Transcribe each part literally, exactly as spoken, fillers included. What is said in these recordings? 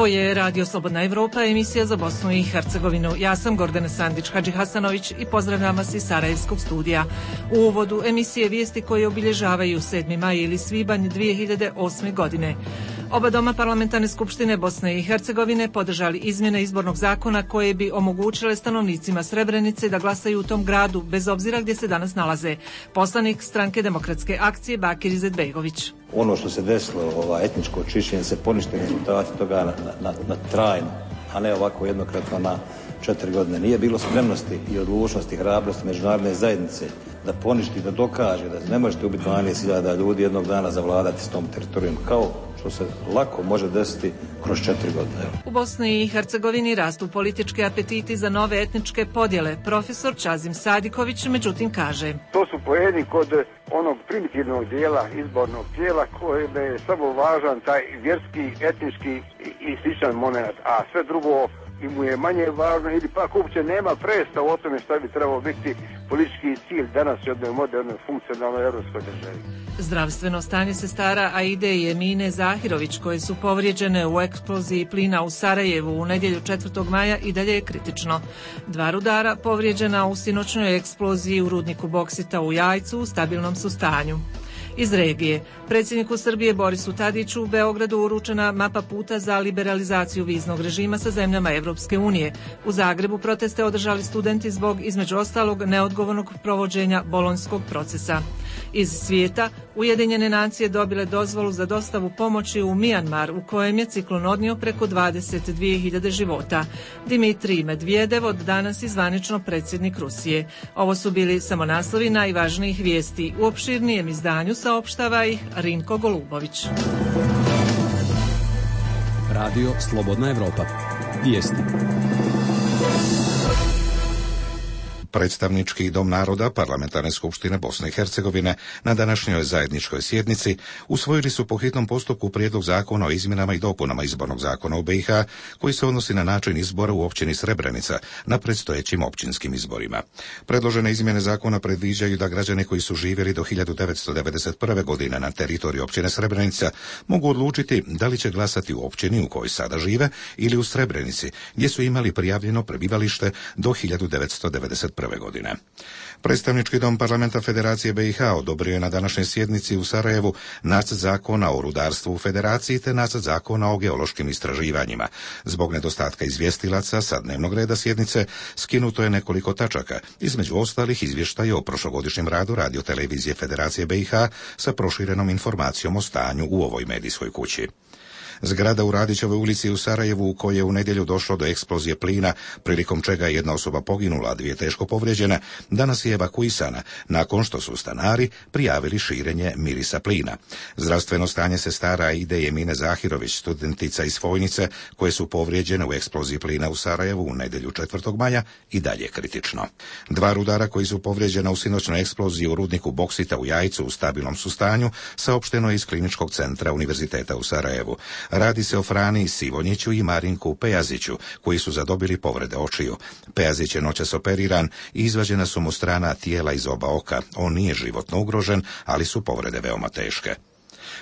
Ovo je Radio Slobodna Evropa, emisija za Bosnu i Hercegovinu. Ja sam Gordana Sandić-Hadži Hasanović i pozdravljam vas iz Sarajevskog studija. U uvodu emisije vijesti koje obilježavaju sedmi maj ili svibanj dvije hiljade osme. godine. Oba doma parlamentarne skupštine Bosne i Hercegovine podržali izmjene izbornog zakona koje bi omogućile stanovnicima Srebrenice da glasaju u tom gradu, bez obzira gdje se danas nalaze. Poslanik Stranke demokratske akcije Bakir Izetbegović. Ono što se desilo, ova etničko čišćenje, se ponište rezultati toga na, na, na trajno, a ne ovako jednokratno na četiri godine. Nije bilo spremnosti i odlučnosti, hrabrosti međunarodne zajednice da poništi, da dokaže da ne možete ubiti dvanaest hiljada ljudi jednog dana zavladati s tom teritorijom, kao što se lako može desiti kroz četiri godine. U Bosni i Hercegovini rastu politički apetiti za nove etničke podjele. Profesor Čazim Sadiković međutim kaže: To su poeni kod onog primitivnog dijela izbornog tijela koje je samo važan taj vjerski, etnički i sličan moment, a sve drugo i mu je manje važno ili pak uopće nema predstava o tome što bi trebalo biti politički cilj danas u jednoj modernoj funkcionalnoj europskoj državi. Zdravstveno stanje sestara Aide i Emine Zahirović, koje su povrijeđene u eksploziji plina u Sarajevu u nedjelju četvrtog maja, i dalje je kritično. Dva rudara povrijeđena u sinoćnoj eksploziji u rudniku boksita u Jajcu u stabilnom su stanju. Iz regije, predsjedniku Srbije Borisu Tadiću u Beogradu uručena mapa puta za liberalizaciju viznog režima sa zemljama Evropske unije. U Zagrebu proteste održali studenti zbog, između ostalog, neodgovornog provođenja bolonjskog procesa. Iz svijeta, Ujedinjene nacije dobile dozvolu za dostavu pomoći u Mijanmar, u kojem je ciklon odnio preko dvadeset dvije hiljade života. Dimitrij Medvedev od danas i zvanično predsjednik Rusije. Ovo su bili samo naslovi najvažnijih vijesti. U opširnijem izdanju saopštava ih Rinko Golubović. Radio Slobodna Evropa. Vijesti. Predstavnički dom naroda Parlamentarne skupštine Bosne i Hercegovine na današnjoj zajedničkoj sjednici usvojili su po hitnom postupku prijedlog zakona o izmjenama i dopunama izbornog zakona u B i H koji se odnosi na način izbora u općini Srebrenica na predstojećim općinskim izborima. Predložene izmjene zakona predviđaju da građani koji su živjeli do hiljadu devetsto devedeset prve. godine na teritoriju općine Srebrenica mogu odlučiti da li će glasati u općini u kojoj sada žive ili u Srebrenici, gdje su imali prijavljeno prebivalište do hiljadu devetsto devedeset prve. godine. Predstavnički dom Parlamenta Federacije B i H odobrio je na današnjoj sjednici u Sarajevu nacrt zakona o rudarstvu u Federaciji te nacrt zakona o geološkim istraživanjima. Zbog nedostatka izvjestilaca sa dnevnog reda sjednice skinuto je nekoliko tačaka, između ostalih izvještaje o prošlogodišnjem radu radiotelevizije Federacije B i H sa proširenom informacijom o stanju u ovoj medijskoj kući. Zgrada u Radićevoj ulici u Sarajevu, u kojoj je u nedjelju došlo do eksplozije plina, prilikom čega je jedna osoba poginula, a dvije teško povrijeđene, danas je evakuisana nakon što su stanari prijavili širenje mirisa plina. Zdravstveno stanje sestara Aide i Emine Zahirović, studentica iz Fojnice, koje su povrijeđene u eksploziji plina u Sarajevu u nedjelju četvrtog maja, i dalje kritično. Dva rudara koji su povrijeđena u sinoćnoj eksploziji u rudniku boksita u Jajcu u stabilnom su stanju, saopšteno je iz Kliničkog centra Univerziteta u Sarajevu. Radi se o Frani Sivonjiću i Marinku Pejaziću, koji su zadobili povrede očiju. Pejazić je noćas operiran i izvađena su mu strana tijela iz oba oka. On nije životno ugrožen, ali su povrede veoma teške.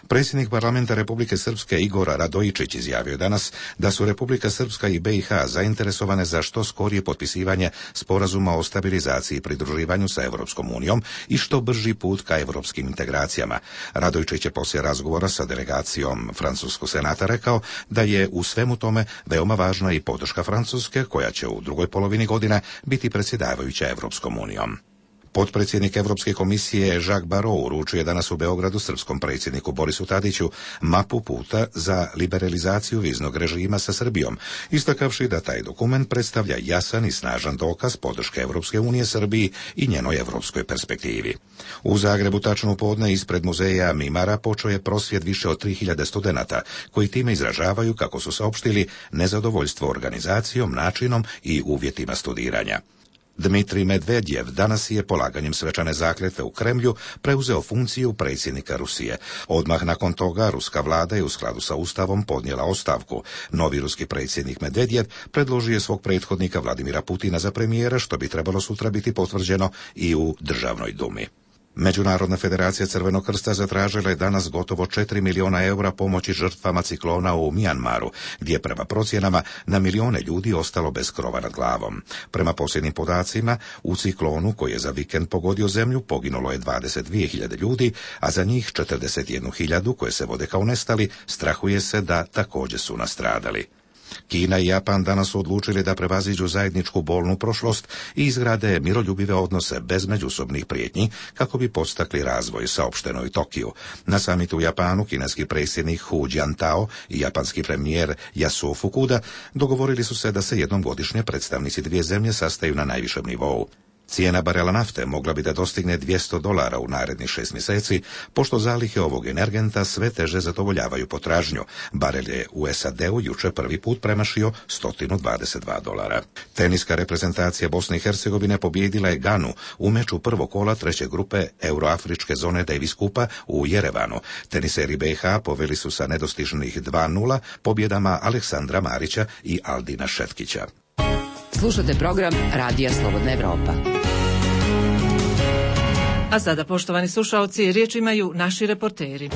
Predsjednik Parlamenta Republike Srpske Igor Radojičić izjavio danas da su Republika Srpska i B i H zainteresovane za što skorije potpisivanje sporazuma o stabilizaciji i pridruživanju sa Europskom unijom i što brži put ka europskim integracijama. Radojičić je poslije razgovora sa delegacijom Francuskog senata rekao da je u svemu tome veoma važna i podrška Francuske, koja će u drugoj polovini godine biti predsjedavajuća Europskom unijom. Potpredsjednik Europske komisije Jacques Barrot uručio je danas u Beogradu srpskom predsjedniku Borisu Tadiću mapu puta za liberalizaciju viznog režima sa Srbijom, istakavši da taj dokument predstavlja jasan i snažan dokaz podrške Europske unije Srbiji i njenoj europskoj perspektivi. U Zagrebu tačno u podne ispred muzeja Mimara počeo je prosvjed više od tri hiljade studenata, koji time izražavaju, kako su saopštili, nezadovoljstvo organizacijom, načinom i uvjetima studiranja. Dmitrij Medvedev danas je polaganjem svečane zakletve u Kremlju preuzeo funkciju predsjednika Rusije. Odmah nakon toga ruska vlada je u skladu sa ustavom podnijela ostavku. Novi ruski predsjednik Medvedev predložio je svog prethodnika Vladimira Putina za premijera, što bi trebalo sutra biti potvrđeno i u Državnoj dumi. Međunarodna federacija Crvenog krsta zatražila je danas gotovo četiri miliona eura pomoći žrtvama ciklona u Mijanmaru, gdje je prema procjenama na milijone ljudi ostalo bez krova nad glavom. Prema posljednjim podacima, u ciklonu koji je za vikend pogodio zemlju poginulo je dvadeset dvije hiljade ljudi, a za njih četrdeset jednu hiljadu koje se vode kao nestali, strahuje se da također su nastradali. Kina i Japan danas su odlučili da prevaziđu zajedničku bolnu prošlost i izgrade miroljubive odnose bez međusobnih prijetnji kako bi postakli razvoj, saopšteno u Tokiju. Na samitu u Japanu kineski predsjednik Hu Jintao i japanski premijer Yasuo Fukuda dogovorili su se da se jednom godišnje predstavnici dvije zemlje sastaju na najvišem nivou. Cijena barela nafte mogla bi da dostigne dvjesto dolara u narednih šest mjeseci, pošto zalihe ovog energenta sve teže zadovoljavaju potražnju. Barel je u S A D-u jučer prvi put premašio sto dvadeset dva dolara. Teniska reprezentacija Bosne i Hercegovine pobijedila je Ganu u meču prvog kola treće grupe Euroafričke zone Davis Kupa u Jerevanu. Teniseri B iH poveli su sa nedostižnih dva nula pobjedama Aleksandra Marića i Aldina Šetkića. Slušate program Radija Slobodna Evropa. A sada, poštovani slušaoci, riječ imaju naši reporteri.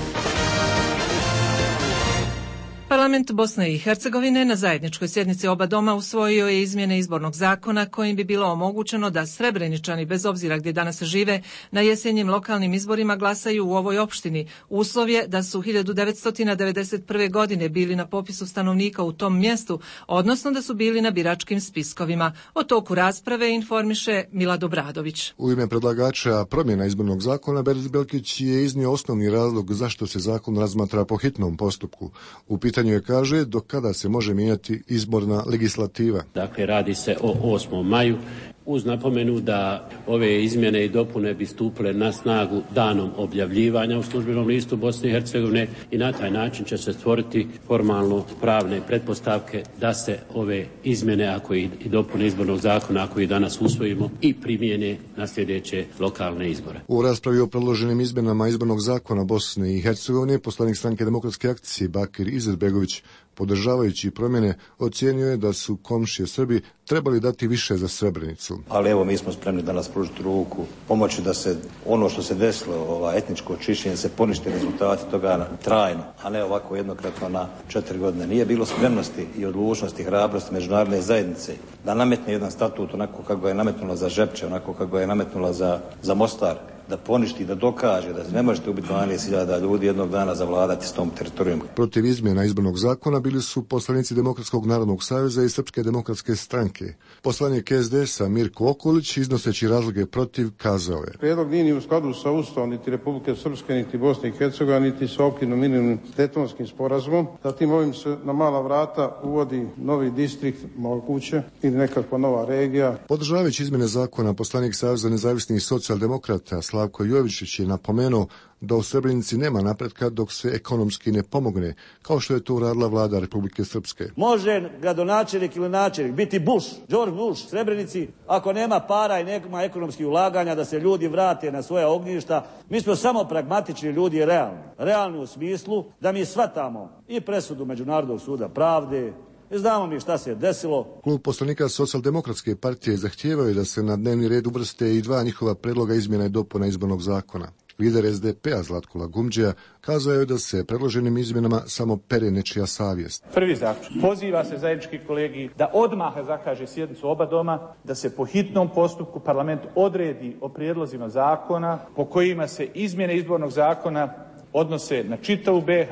Parlament Bosne i Hercegovine na zajedničkoj sjednici oba doma usvojio je izmjene izbornog zakona kojim bi bilo omogućeno da Srebreničani, bez obzira gdje danas žive, na jesenjim lokalnim izborima glasaju u ovoj opštini. Uslov je da su hiljadu devetsto devedeset prve. godine bili na popisu stanovnika u tom mjestu, odnosno da su bili na biračkim spiskovima. O toku rasprave informiše Milad Obradović. U ime predlagača promjena izbornog zakona Beris Belkić je iznio osnovni razlog zašto se zakon razmatra po hitnom postupku. U pitanju je, kaže, do kada se može mijenjati izborna legislativa. Dakle, radi se o osmom maju, uz napomenu da ove izmjene i dopune bi stupile na snagu danom objavljivanja u službenom listu Bosne i Hercegovine i na taj način će se stvoriti formalno pravne pretpostavke da se ove izmjene ako i dopune izbornog zakona, ako i danas usvojimo, i primijene na sljedeće lokalne izbore. U raspravi o predloženim izmjenama izbornog zakona Bosne i Hercegovine poslanik Stranke demokratske akcije Bakir Izetbegović, podržavajući promjene, ocijenio je da su komšije Srbi trebali dati više za Srebrenicu. Ali evo, mi smo spremni danas pružiti ruku, pomoći da se ono što se desilo, ova etničko čišćenje, se ponište rezultati toga trajno, a ne ovako jednokratno na četiri godine. Nije bilo spremnosti i odlučnosti, hrabrosti međunarodne zajednice da nametne jedan statut onako kako ga je nametnula za Žepče, onako kako ga je nametnula za, za Mostar, da poništi, da dokaže da ne možete ubiti dvanaest hiljada ljudi jednog dana zavladati s tom teritorijom. Protiv izmjena izbornog zakona bili su poslanici Demokratskog narodnog saveza i Srpske demokratske stranke. Poslanik S D S-a Mirko Okolić, iznoseći razloge protiv, kazao je: Prijedlog nije ni u skladu sa Ustavom niti Republike Srpske, niti Bosne i Hercegovine, niti sa okvirnim minimum Daytonskim sporazumom. Zatim ovim se na mala vrata uvodi novi distrikt Malkuće ili nekakva nova regija. Podržavajući izmjene zakona, poslanik Saveza nezavisnih socijaldemokrata Slavko Jovičić je napomenuo da u Srebrenici nema napretka dok se ekonomski ne pomogne, kao što je to uradila vlada Republike Srpske. Može gradonačelnik ili načelnik biti Bush, George Bush, Srebrenici, ako nema para i nema ekonomskih ulaganja da se ljudi vrate na svoja ognjišta. Mi smo samo pragmatični ljudi i realni. Realni u smislu da mi shvatamo i presudu Međunarodnog suda pravde, i znamo mi šta se je desilo. Klub poslanika Socijaldemokratske partije zahtijevao je da se na dnevni red uvrste i dva njihova predloga izmjena i dopuna izbornog zakona. Lider S D P-a Zlatko Lagumđija kazao je da se predloženim izmjenama samo pere nečija savjest. Prvi zaključak. Poziva se zajednički kolegij da odmah zakaže sjednicu oba doma, da se po hitnom postupku parlament odredi o prijedlozima zakona po kojima se izmjene izbornog zakona odnose na čitavu B iH,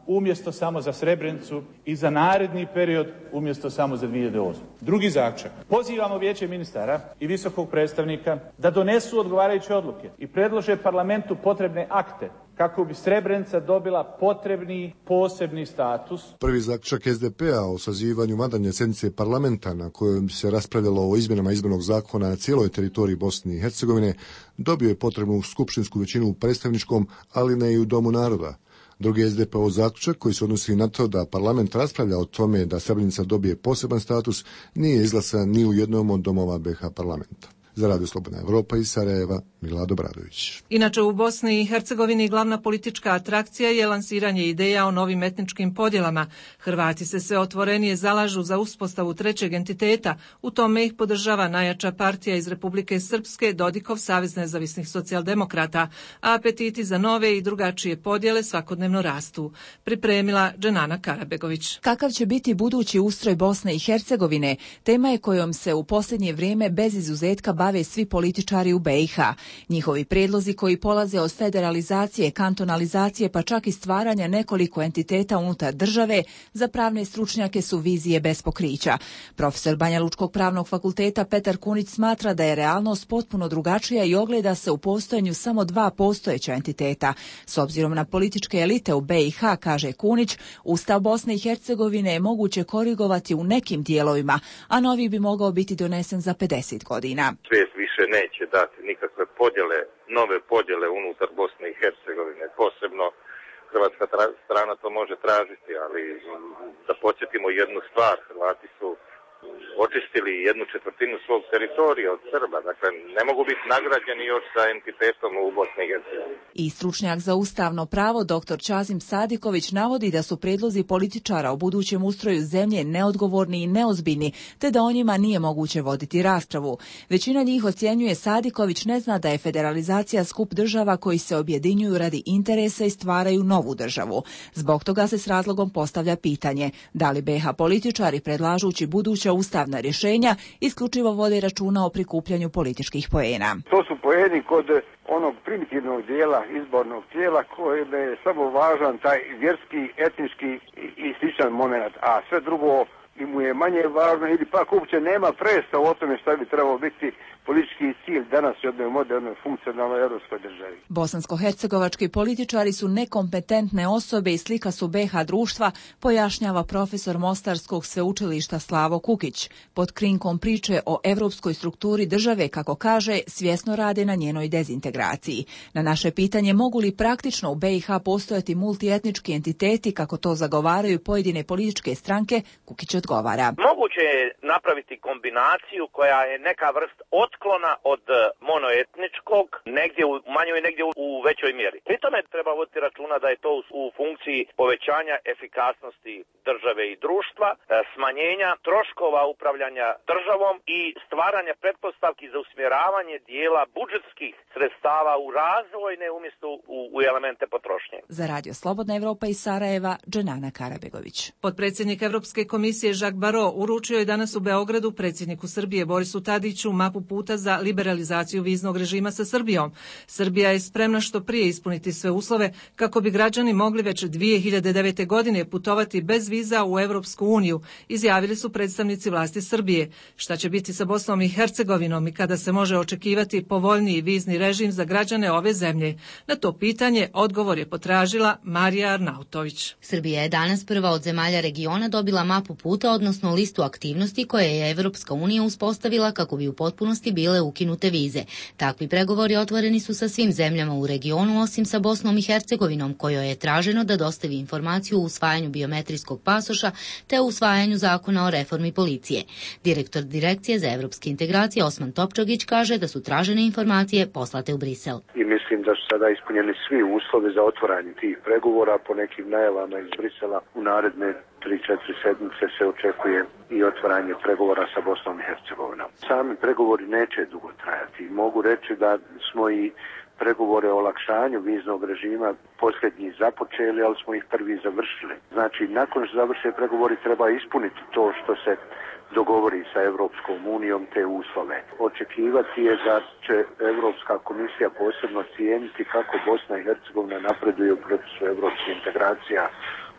umjesto samo za Srebrenicu, i za naredni period umjesto samo za dvije hiljade osme. Drugi zaključak. Pozivamo Vijeće ministara i visokog predstavnika da donesu odgovarajuće odluke i predlože parlamentu potrebne akte kako bi Srebrenica dobila potrebni posebni status. Prvi zaključak S D P-a o sazivanju vanredne sjednice parlamenta na kojem se raspravljalo o izmjenama izbornog zakona na cijeloj teritoriji Bosne i Hercegovine dobio je potrebnu skupštinsku većinu u predstavničkom, ali ne i u Domu naroda. Drugi S D P-ov zaključak, koji se odnosi na to da parlament raspravlja o tome da Srebrenica dobije poseban status, nije izglasan ni u jednom od domova B iH parlamenta. Za Radio Slobodna Evropa iz Sarajeva, Milado Bradović. Inače, u Bosni i Hercegovini glavna politička atrakcija je lansiranje ideja o novim etničkim podjelama. Hrvati se sve otvorenije zalažu za uspostavu trećeg entiteta, u tome ih podržava najjača partija iz Republike Srpske, Dodikov Savez nezavisnih socijaldemokrata, a apetiti za nove i drugačije podjele svakodnevno rastu. Pripremila Dženana Karabegović. Kakav će biti budući ustroj Bosne i Hercegovine, tema je kojom se u posljednje vrijeme bez izuzetka bave svi političari u be i ha. Njihovi prijedlozi koji polaze od federalizacije, kantonalizacije pa čak i stvaranja nekoliko entiteta unutar države, za pravne stručnjake su vizije bez pokrića. Profesor Banja Lučkog pravnog fakulteta Petar Kunić smatra da je realnost potpuno drugačija i ogleda se u postojanju samo dva postojeća entiteta. S obzirom na političke elite u be i ha, kaže Kunić, Ustav Bosne i Hercegovine je moguće korigovati u nekim dijelovima, a novi bi mogao biti donesen za pedeset godina. Svijet više neće dati nikakve podjele, nove podjele unutar Bosne i Hercegovine. Posebno hrvatska strana to može tražiti, ali da podsjetimo jednu stvar, Hrvati su očistili jednu četvrtinu svog teritorija od Srba, dakle ne mogu biti nagrađeni još sa entitetom u Bosni i Hercegovini. I stručnjak za ustavno pravo doktor Čazim Sadiković navodi da su prijedlozi političara o budućem ustroju zemlje neodgovorni i neozbiljni, te da o njima nije moguće voditi raspravu. Većina njih, ocjenjuje Sadiković, ne zna da je federalizacija skup država koji se objedinjuju radi interesa i stvaraju novu državu. Zbog toga se s razlogom postavlja pitanje da li be i ha političari, predlažući buduća ustavna rješenja, isključivo vode računa o prikupljanju političkih poena. To su poeni kod onog primitivnog dijela izbornog tijela koje je samo važan taj vjerski, etnički i sličan moment, a sve drugo mu je manje važno ili pak uopće nema predstav o tome što bi trebao biti politički cilj danas u jednoj modernoj funkcionalnoj europskoj državi. Bosansko-hercegovački političari su nekompetentne osobe i slika su be i ha društva, pojašnjava profesor Mostarskog sveučilišta Slavo Kukić. Pod krinkom priče o europskoj strukturi države, kako kaže, svjesno rade na njenoj dezintegraciji. Na naše pitanje mogu li praktično u be i ha postojati multietnički entiteti, kako to zagovaraju pojedine političke stranke, Kukić odgovara. Moguće je napraviti kombinaciju koja je neka vrst otklona od monoetničkog, negdje u manjoj, negdje u većoj mjeri. Pri tome treba voditi računa da je to u funkciji povećanja efikasnosti države i društva, smanjenja troškova upravljanja državom i stvaranja pretpostavki za usmjeravanje dijela budžetskih sredstava u razvojne umjesto u, u elemente potrošnje. Za Radio Slobodna Evropa iz Sarajeva, Dženana Karabegović. Potpredsjednik Evropske komisije Jacques Barrot uručio je danas u Beogradu predsjedniku Srbije Borisu Tadiću mapu puta za liberalizaciju viznog režima sa Srbijom. Srbija je spremna što prije ispuniti sve uslove kako bi građani mogli već dvije hiljade devete. godine putovati bez viza u Evropsku uniju, izjavili su predstavnici vlasti Srbije. Šta će biti sa Bosnom i Hercegovinom i kada se može očekivati povoljniji vizni režim za građane ove zemlje? Na to pitanje odgovor je potražila Marija Arnautović. Srbija je danas prva od zemalja regiona dobila mapu puta, odnosno listu aktivnosti koje je Evropska unija uspostavila kako bi u potpunosti bile ukinute vize. Takvi pregovori otvoreni su sa svim zemljama u regionu, osim sa Bosnom i Hercegovinom, kojoj je traženo da dostavi informaciju o usvajanju biometrijskog pasoša te o usvajanju zakona o reformi policije. Direktor Direkcije za evropske integracije Osman Topčagić kaže da su tražene informacije poslate u Brisel. I mislim da su sada ispunjeni svi uslovi za otvaranje tih pregovora. Po nekim najavama iz Brisela u naredne tri četiri sedmice se očekuje i otvaranje pregovora sa Bosnom i Hercegovinom. Sami pregovori neće dugo trajati. Mogu reći da smo i pregovore o olakšanju viznog režima posljednji započeli, ali smo ih prvi završili. Znači, nakon što završe pregovori treba ispuniti to što se dogovori sa Evropskom unijom, te uslove. Očekivati je da će Evropska komisija posebno cijeniti kako Bosna i Hercegovina napreduje u procesu evropskih integracija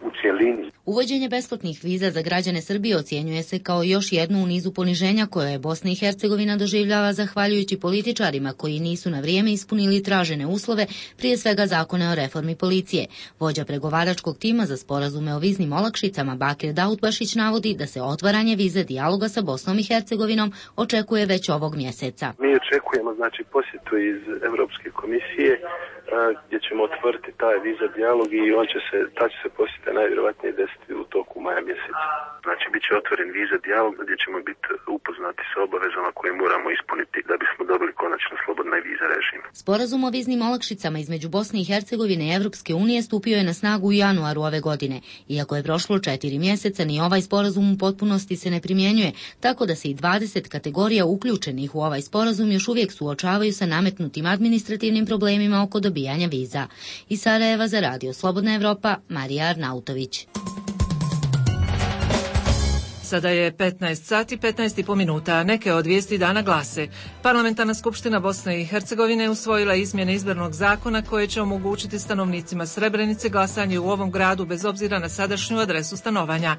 u cjelini. Uvođenje besplatnih viza za građane Srbije ocjenjuje se kao još jednu u nizu poniženja koje je Bosna i Hercegovina doživljava zahvaljujući političarima koji nisu na vrijeme ispunili tražene uslove, prije svega zakone o reformi policije. Vođa pregovaračkog tima za sporazume o viznim olakšicama Bakir Dautbašić navodi da se otvaranje vize dijaloga sa Bosnom i Hercegovinom očekuje već ovog mjeseca. Mi očekujemo znači posjetu iz Europske komisije gdje ćemo otvoriti taj viza dijalog i on će se, ta će se posjeta najvjerojatnije desiti u toku maja mjeseca. Znači, bit će otvoren viza dijalog gdje ćemo biti upoznati sa obavezama koje moramo ispuniti da bismo dobili konačno slobodni viza režim. Sporazum o viznim olakšicama između Bosne i Hercegovine i Evropske unije stupio je na snagu u januaru ove godine. Iako je prošlo četiri mjeseca, ni ovaj sporazum u potpunosti se ne primjenjuje, tako da se i dvadeset kategorija uključenih u ovaj sporazum još uvijek suočavaju sa nametnutim administrativnim problemima oko dobijanja viza. Iz Sarajeva za Radio Slobodna Evropa, Marija Arnautović. Sada je petnaest sati, petnaest i po minuta. Neke od vijesti dana glase. Parlamentarna skupština Bosne i Hercegovine usvojila izmjene izbornog zakona koje će omogućiti stanovnicima Srebrenice glasanje u ovom gradu bez obzira na sadašnju adresu stanovanja.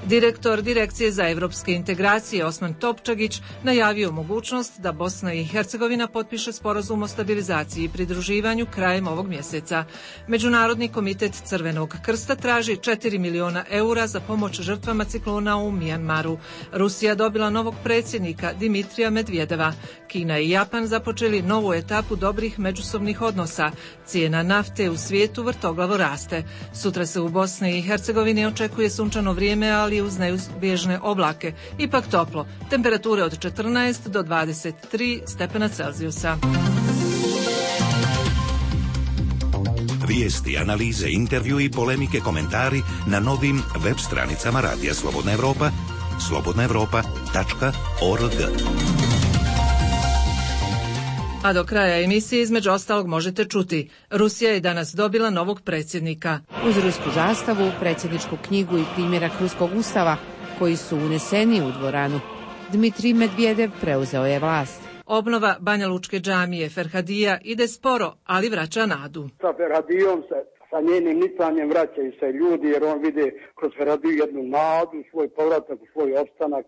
Direktor Direkcije za evropske integracije Osman Topčagić najavio mogućnost da Bosna i Hercegovina potpiše sporazum o stabilizaciji i pridruživanju krajem ovog mjeseca. Međunarodni komitet Crvenog krsta traži četiri miliona eura za pomoć žrtvama ciklona u Mijanmaru. Rusija dobila novog predsjednika Dimitrija Medvedeva. Kina i Japan započeli novu etapu dobrih međusobnih odnosa. Cijena nafte u svijetu vrtoglavo raste. Sutra se u Bosni i Hercegovini očekuje sunčano vrijeme, ali uz neizbježne oblake. Ipak toplo. Temperature od četrnaest do dvadeset tri stepena Celzijusa. Vijesti, analize, intervju i polemike, komentari na novim web stranicama Radija Slobodna Evropa, slobodna evropa tačka org. A do kraja emisije između ostalog možete čuti. Rusija je danas dobila novog predsjednika. Uz rusku zastavu, predsjedničku knjigu i primjerak ruskog ustava koji su uneseni u dvoranu, Dmitrij Medvedev preuzeo je vlast. Obnova Banja Lučke džamije Ferhadija ide sporo, ali vraća nadu. Sa Ferhadijom se, sa njenim nicanjem vraćaju se ljudi, jer on vide kroz Ferhadiju jednu nadu, svoj povratak, svoj opstanak.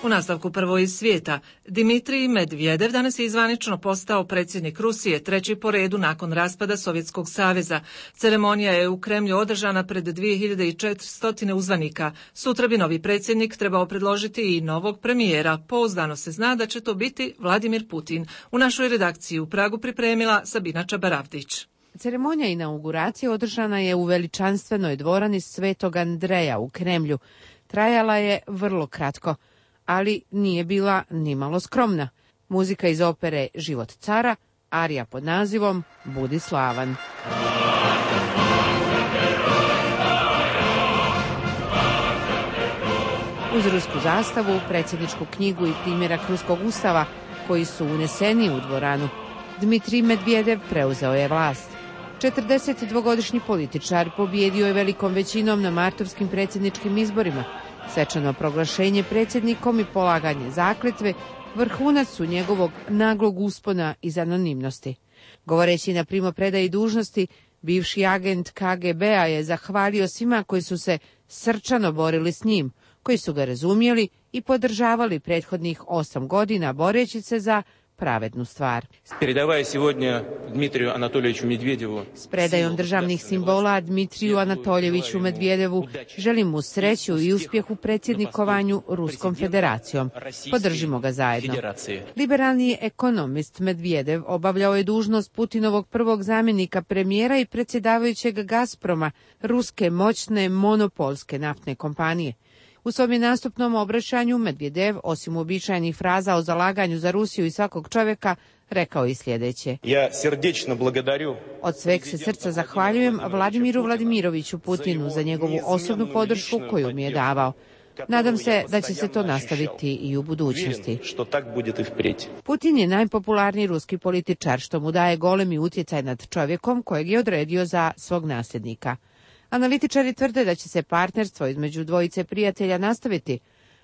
U nastavku prvo iz svijeta, Dimitrij Medvedev danas je zvanično postao predsjednik Rusije, treći po redu nakon raspada Sovjetskog saveza. Ceremonija je u Kremlju održana pred dvije hiljade četiristo uzvanika. Sutra bi novi predsjednik trebao predložiti i novog premijera. Pouzdano se zna da će to biti Vladimir Putin. U našoj redakciji u Pragu pripremila Sabina Čabaravdić. Ceremonija inauguracije održana je u veličanstvenoj dvorani Svetog Andreja u Kremlju. Trajala je vrlo kratko, ali nije bila nimalo skromna. Muzika iz opere Život cara, arija pod nazivom Budi slavan. Uz rusku zastavu, predsjedničku knjigu i primjerak ruskog ustava koji su uneseni u dvoranu, Dmitrij Medvedev preuzeo je vlast. četrdesetdvogodišnji političar pobjedio je velikom većinom na martovskim predsjedničkim izborima. Svečano proglašenje predsjednikom i polaganje zakletve vrhunac su njegovog naglog uspona iz anonimnosti. Govoreći na primopredaji dužnosti, bivši agent K G B-a je zahvalio svima koji su se srčano borili s njim, koji su ga razumjeli i podržavali prethodnih osam godina boreći se za pravednu stvar. S predajom državnih simbola Dmitriju Anatoljeviću Medvedevu želim mu sreću i uspjeh u predsjednikovanju Ruskom federacijom. Podržimo ga zajedno. Liberalni ekonomist Medvedev obavljao je dužnost Putinovog prvog zamjenika premijera i predsjedavajućeg Gazproma, ruske moćne monopolske naftne kompanije. U svom je nastupnom obraćanju Medvedev, osim uobičajenih fraza o zalaganju za Rusiju i svakog čovjeka, rekao i sljedeće. Ja srdečno благодарю. Od sveg se srca zahvaljujem Vladimiru Vladimiroviću Putinu za njegovu osobnu podršku koju mi je davao. Nadam se da će se to nastaviti i u budućnosti. Putin je najpopularniji ruski političar, što mu daje golemi utjecaj nad čovjekom kojeg je odredio za svog nasljednika. Analitičari tvrde da će se partnerstvo između dvojice prijatelja nastaviti,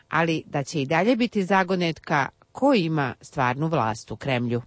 ali da će i dalje biti zagonetka ko ima stvarnu vlast u Kremlju.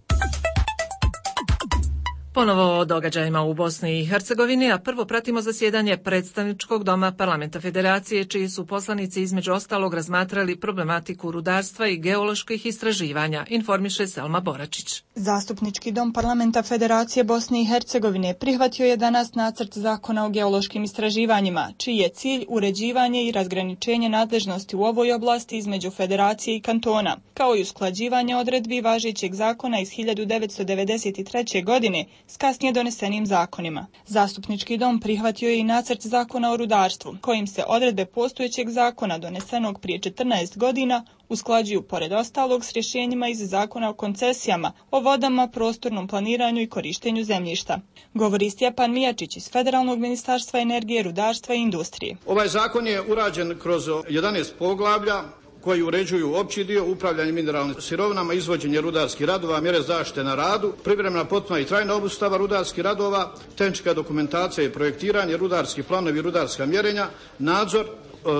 Ponovo o događajima u Bosni i Hercegovini, a prvo pratimo zasjedanje predstavničkog doma Parlamenta Federacije, čiji su poslanici između ostalog razmatrali problematiku rudarstva i geoloških istraživanja, informiše Selma Boračić. Zastupnički dom Parlamenta Federacije Bosne i Hercegovine prihvatio je danas nacrt zakona o geološkim istraživanjima, čiji je cilj uređivanje i razgraničenje nadležnosti u ovoj oblasti između Federacije i kantona, kao i usklađivanje odredbi važećeg zakona iz hiljadu devetsto devedeset treće. godine s kasnije donesenim zakonima. Zastupnički dom prihvatio je i nacrt zakona o rudarstvu, kojim se odredbe postojećeg zakona donesenog prije četrnaest godina usklađuju pored ostalog s rješenjima iz zakona o koncesijama, o vodama, prostornom planiranju i korištenju zemljišta. Govori Stjepan Mijačić iz Federalnog ministarstva energije, rudarstva i industrije. Ovaj zakon je urađen kroz jedanaest poglavlja koji uređuju opći dio, upravljanje mineralnim sirovinama, izvođenje rudarskih radova, mjere zaštite na radu, privremena, potpuna i trajna obustava rudarskih radova, tehnička dokumentacija i projektiranje, rudarski planovi i rudarska mjerenja, nadzor,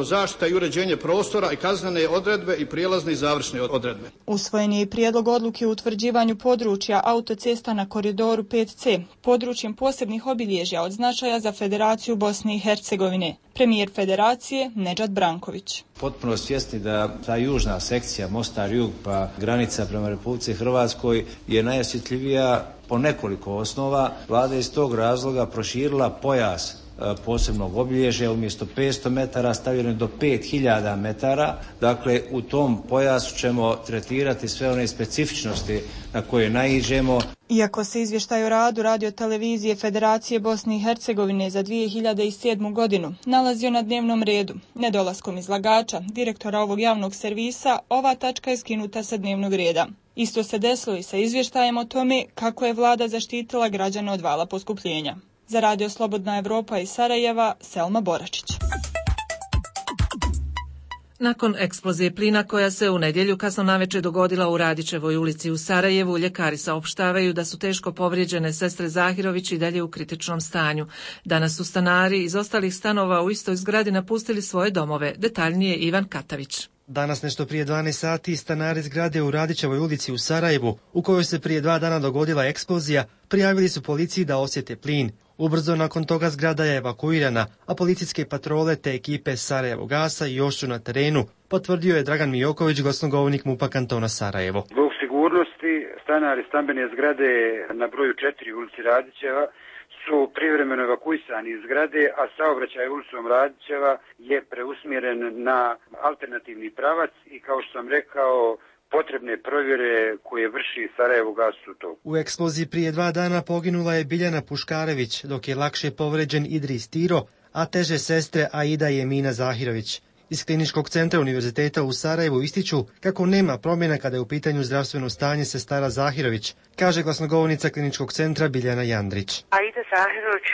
zaštita i uređenje prostora i kaznene odredbe i prijelazne i završne odredbe. Usvojen je i prijedlog odluke o utvrđivanju područja autocesta na koridoru pet ce, područjem posebnih obilježja od značaja za Federaciju Bosne i Hercegovine. Premijer Federacije Nedžad Branković. Potpuno svjesni da ta južna sekcija Mostar-Jug pa granica prema Republici Hrvatskoj je najosjetljivija po nekoliko osnova. Vlada je iz tog razloga proširila pojas posebnog obilježja, umjesto petsto metara stavljeno do pet hiljada metara. Dakle, u tom pojasu ćemo tretirati sve one specifičnosti na koje naiđemo. Iako se izvještaj o radu radiotelevizije Federacije Bosne i Hercegovine za dvije hiljade sedmu. godinu nalazio na dnevnom redu, nedolaskom izlagača, direktora ovog javnog servisa, ova tačka je skinuta sa dnevnog reda. Isto se desilo i sa izvještajem o tome kako je vlada zaštitila građane od vala poskupljenja. Za Radio Slobodna Evropa iz Sarajeva, Selma Boračić. Nakon eksplozije plina koja se u nedjelju kasno navečer dogodila u Radićevoj ulici u Sarajevu, ljekari saopštavaju da su teško povrijeđene sestre Zahirović i dalje u kritičnom stanju. Danas su stanari iz ostalih stanova u istoj zgradi napustili svoje domove. Detaljnije Ivan Katavić. Danas nešto prije dvanaest sati stanari zgrade u Radićevoj ulici u Sarajevu, u kojoj se prije dva dana dogodila eksplozija, prijavili su policiji da osjete plin. Ubrzo nakon toga zgrada je evakuirana, a policijske patrole te ekipe Sarajevo gasa još su na terenu, potvrdio je Dragan Mijoković, glasnogovornik MUP-a kantona Sarajevo. Zbog sigurnosti stanari stambene zgrade na broju četiri ulici Radićeva su privremeno evakuisani iz zgrade, a saobraćaj ulicom Radićeva je preusmjeren na alternativni pravac i kao što sam rekao, potrebne provjere koje vrši Sarajevo gas u toku. U eksploziji prije dva dana poginula je Biljana Puškarević, dok je lakše povređen Idris Tiro, a teže sestre Aida i Emina Zahirović. Iz Kliničkog centra Univerziteta u Sarajevu ističu kako nema promjena kada je u pitanju zdravstveno stanje sestara Zahirović, kaže glasnogovornica Kliničkog centra Biljana Jandrić. Aida Zahirović,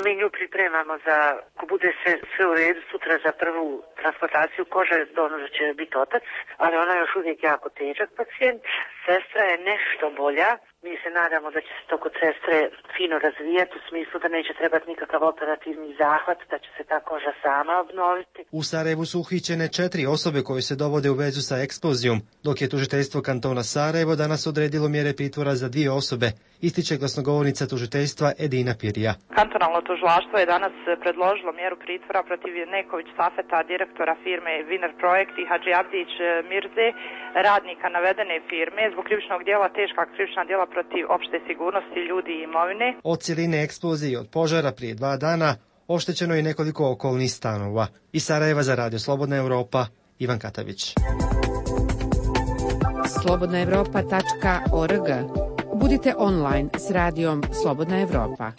mi nju pripremamo za, ako bude sve, sve u redu, sutra za prvu transplantaciju kože, ono da će biti otac, ali ona je još uvijek jako težak pacijent. Sestra je nešto bolja. Mi se nadamo da će se to kod sestre fino razvijati u smislu da neće trebati nikakav operativni zahvat, da će se ta koža sama obnoviti. U Sarajevu su uhićene četiri osobe koje se dovode u vezu sa eksplozijom, dok je tužiteljstvo kantona Sarajevo danas odredilo mjere pritvora za dvije osobe, ističe glasnogovornica tužiteljstva Edina Pirija. Kantonalno tužilaštvo je danas predložilo mjeru pritvora protiv Neković Safeta, direktora firme Winner Projekt, i Hadži Abdić Mirze, radnika navedene firme, zbog krivičnog djela teška krivična djela protiv opšte sigurnosti ljudi i imovine. Od cijeline eksplozije i od požara prije dva dana oštećeno je nekoliko okolnih stanova. Iz Sarajeva za Radio Slobodna Evropa, Ivan Katavić. slobodna evropa tačka org. Budite online s radijom Slobodna Evropa.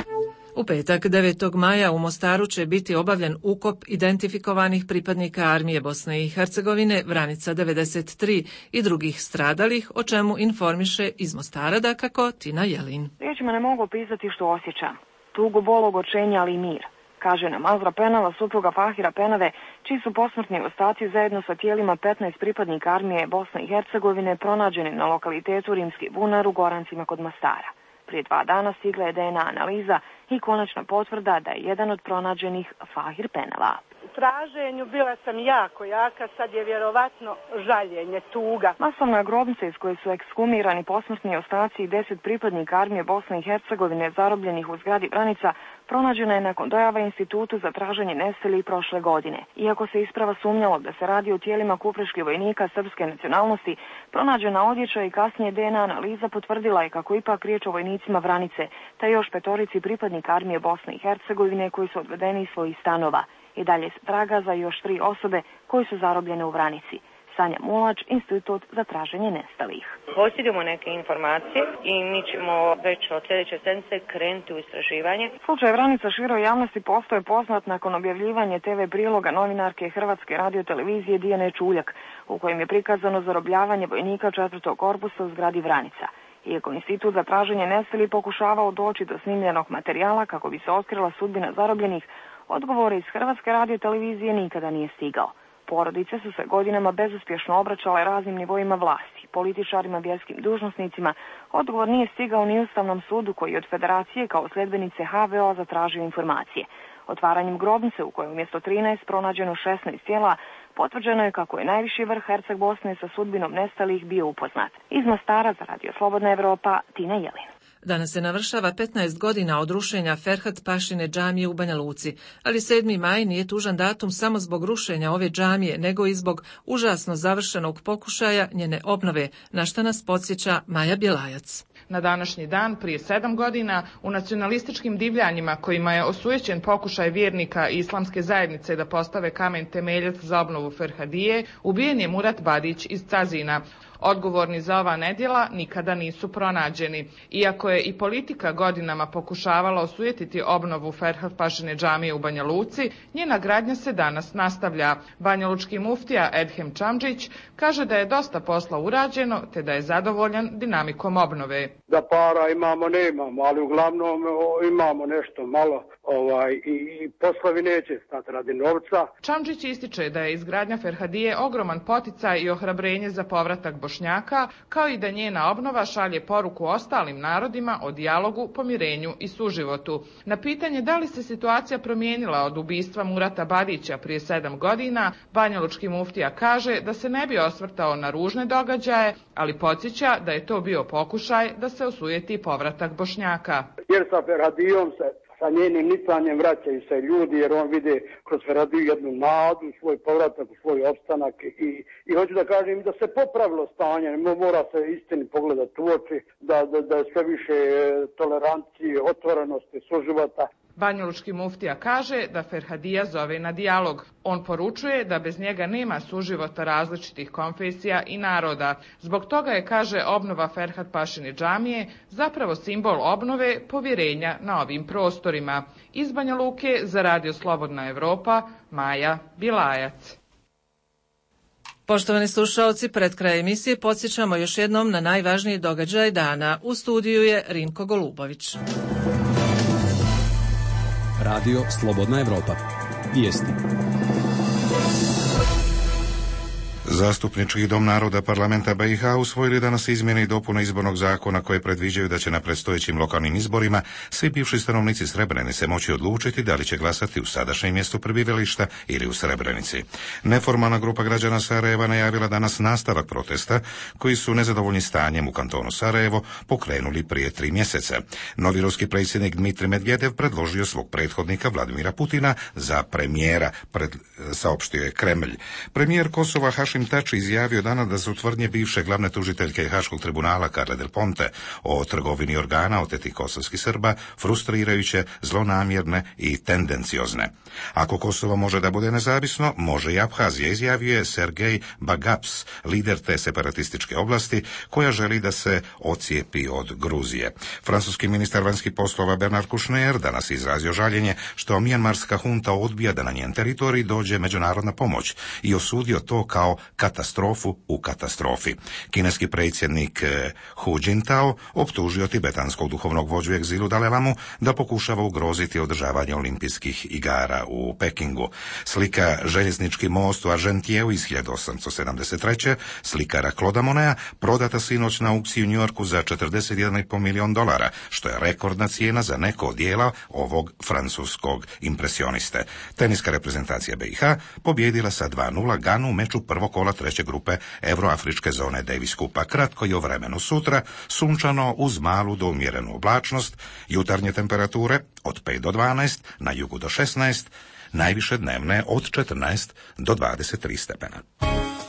U petak devetog maja u Mostaru će biti obavljen ukop identifikovanih pripadnika Armije Bosne i Hercegovine Vranica devedeset tri i drugih stradalih, o čemu informiše iz Mostara dakako Tina Jelin. Riječima ne mogu opisati što osjećam. Tugu, bol, ogorčenja, ali i mir. Kaže nam Azra Penava, supruga Fahira Penave, čiji su posmrtni ostaci zajedno sa tijelima petnaest pripadnika Armije Bosne i Hercegovine pronađeni na lokalitetu Rimski bunar u Gorancima kod Mostara. Prije dva dana stigla je D N A analiza i konačna potvrda da je jedan od pronađenih Fahir Penava. U traženju bila sam jako jaka, sad je vjerovatno žaljenje, tuga. Masovna grobnica iz koje su ekshumirani posmrtni ostaci i deset pripadnika armije Bosne i Hercegovine zarobljenih u zgradi Vranica pronađena je nakon dojava Institutu za traženje nestalih prošle godine. Iako se isprava sumnjalo da se radi o tijelima kupreških vojnika srpske nacionalnosti, pronađena odjeća i kasnije D N A analiza potvrdila je kako ipak riječ o vojnicima Vranice, te još petorici pripadnika armije Bosne i Hercegovine koji su odvedeni iz svojih stanova. I dalje se traga za još tri osobe koji su zarobljene u Vranici. Sanja Mulač, Institut za traženje nestalih. Posjedujemo neke informacije i mi ćemo već od sljedeće sedmice krenuti u istraživanje. Slučaj Vranica široj javnosti postaje poznat nakon objavljivanja te ve priloga novinarke Hrvatske radiotelevizije Dijane Čuljak, u kojem je prikazano zarobljavanje vojnika četvrtog korpusa u zgradi Vranica. Iako Institut za traženje nestalih pokušavao doći do snimljenog materijala kako bi se otkrila sudbina zarobljenih, odgovore iz Hrvatske radiotelevizije nikada nije stigao. Porodice su se godinama bezuspješno obraćale raznim nivoima vlasti, političarima, vjerskim dužnosnicima. Odgovor nije stigao ni Ustavnom sudu koji od Federacije kao sljedbenice ha ve o zatražio informacije. Otvaranjem grobnice u kojoj umjesto trinaest pronađeno šesnaest tijela, potvrđeno je kako je najviši vrh Herceg Bosne sa sudbinom nestalih bio upoznat. Iz Mostara za Radio Slobodna Evropa, Tina Jelin. Danas se navršava petnaest godina od rušenja Ferhat Pašine džamije u Banja Luci, ali sedmi maj nije tužan datum samo zbog rušenja ove džamije, nego i zbog užasno završenog pokušaja njene obnove, na što nas podsjeća Maja Bjelajac. Na današnji dan, prije sedam godina, u nacionalističkim divljanjima kojima je osujećen pokušaj vjernika islamske zajednice da postave kamen temeljac za obnovu Ferhadije, ubijen je Murat Badić iz Cazina. Odgovorni za ova nedjela nikada nisu pronađeni. Iako je i politika godinama pokušavala osujetiti obnovu Ferhat Pašine džamije u Banja Luci, njena gradnja se danas nastavlja. Banjalučki muftija Edhem Čamdžić kaže da je dosta posla urađeno, te da je zadovoljan dinamikom obnove. Da para imamo, ne imamo, ali uglavnom imamo nešto malo ovaj, i, i poslovi neće stati radi novca. Čamdžić ističe da je izgradnja Ferhadije ogroman poticaj i ohrabrenje za povratak Bošnjaka, kao i da njena obnova šalje poruku ostalim narodima o dijalogu, pomirenju i suživotu. Na pitanje da li se situacija promijenila od ubistva Murata Badića prije sedam godina, banjalučki muftija kaže da se ne bi osvrtao na ružne događaje, ali podsjeća da je to bio pokušaj da se osujeti povratak Bošnjaka. Jer sa Ferhadijom se sa njenim nicanjem vraćaju se ljudi, jer on vide kroz Ferhadiju jednu nadu, svoj povratak, svoj opstanak i, i hoću da kažem da se popravilo stanje, mora se istini pogledati u oči, da, da, da je sve više tolerancije, otvorenosti, suživota. Banjalučki muftija kaže da Ferhadija zove na dijalog. On poručuje da bez njega nema suživota različitih konfesija i naroda. Zbog toga je, kaže, obnova Ferhat Pašine džamije zapravo simbol obnove povjerenja na ovim prostorima. Iz Banja Luke za Radio Slobodna Evropa, Maja Bilajac. Poštovani slušalci, pred kraj emisije podsjećamo još jednom na najvažniji događaj dana. U studiju je Rinko Golubović. Radio Slobodna Evropa. Vijesti. Zastupnički dom naroda parlamenta be i ha usvojili danas izmjene i dopune izbornog zakona koje predviđaju da će na predstojećim lokalnim izborima svi bivši stanovnici Srebrenice moći odlučiti da li će glasati u sadašnjem mjestu prebivališta ili u Srebrenici. Neformalna grupa građana Sarajeva najavila danas nastavak protesta koji su nezadovoljni stanjem u kantonu Sarajevo pokrenuli prije tri mjeseca. Novi ruski predsjednik Dmitrij Medvedev predložio svog prethodnika Vladimira Putina za premijera, pred, saopštio je Kremlj. Premijer Kosova Hašim Tači izjavio danas da su tvrdnje bivše glavne tužiteljke Haškog tribunala Carle del Ponte o trgovini organa otetih kosovskih Srba frustrirajuće, zlonamjerne i tendenciozne. Ako Kosovo može da bude nezavisno, može i Abhazija, izjavio je Sergej Bagaps, lider te separatističke oblasti koja želi da se ocijepi od Gruzije. Francuski ministar vanjskih poslova Bernard Kouchner danas izrazio žaljenje što mijanmarska hunta odbija da na njen teritorij dođe međunarodna pomoć i osudio to kao katastrofu u katastrofi. Kineski predsjednik Hu Jintao optužio tibetanskog duhovnog vođu egzilu Dalaj Lamu da pokušava ugroziti održavanje olimpijskih igara u Pekingu. Slika Željeznički most u Argentieju iz hiljadu osamsto sedamdeset treće slikara Claude'a Moneta prodata sinoć na aukciji u Njujorku za četrdeset jedan zarez pet milion dolara, što je rekordna cijena za neko od dijela ovog francuskog impresioniste. Teniska reprezentacija B i H pobjedila sa dva nula Ganu u meču prvog kola treće grupe Euroafričke zone Davis Kupa. Kratko i o vremenu sutra, sunčano uz malu do umjerenu oblačnost, jutarnje temperature od pet do dvanaest, na jugu do šesnaest, najviše dnevne od četrnaest do dvadeset tri stepena.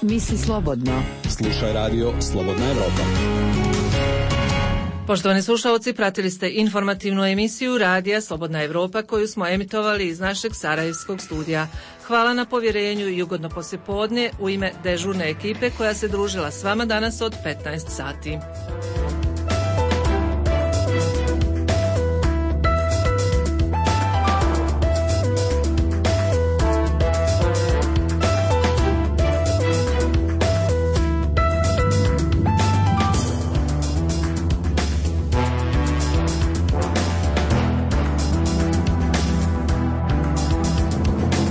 Misli slobodno. Slušaj radio Slobodna Evropa. Poštovani slušalci, pratili ste informativnu emisiju Radija Slobodna Evropa koju smo emitovali iz našeg sarajevskog studija. Hvala na povjerenju i ugodno poslijepodne u ime dežurne ekipe koja se družila s vama danas od petnaest sati.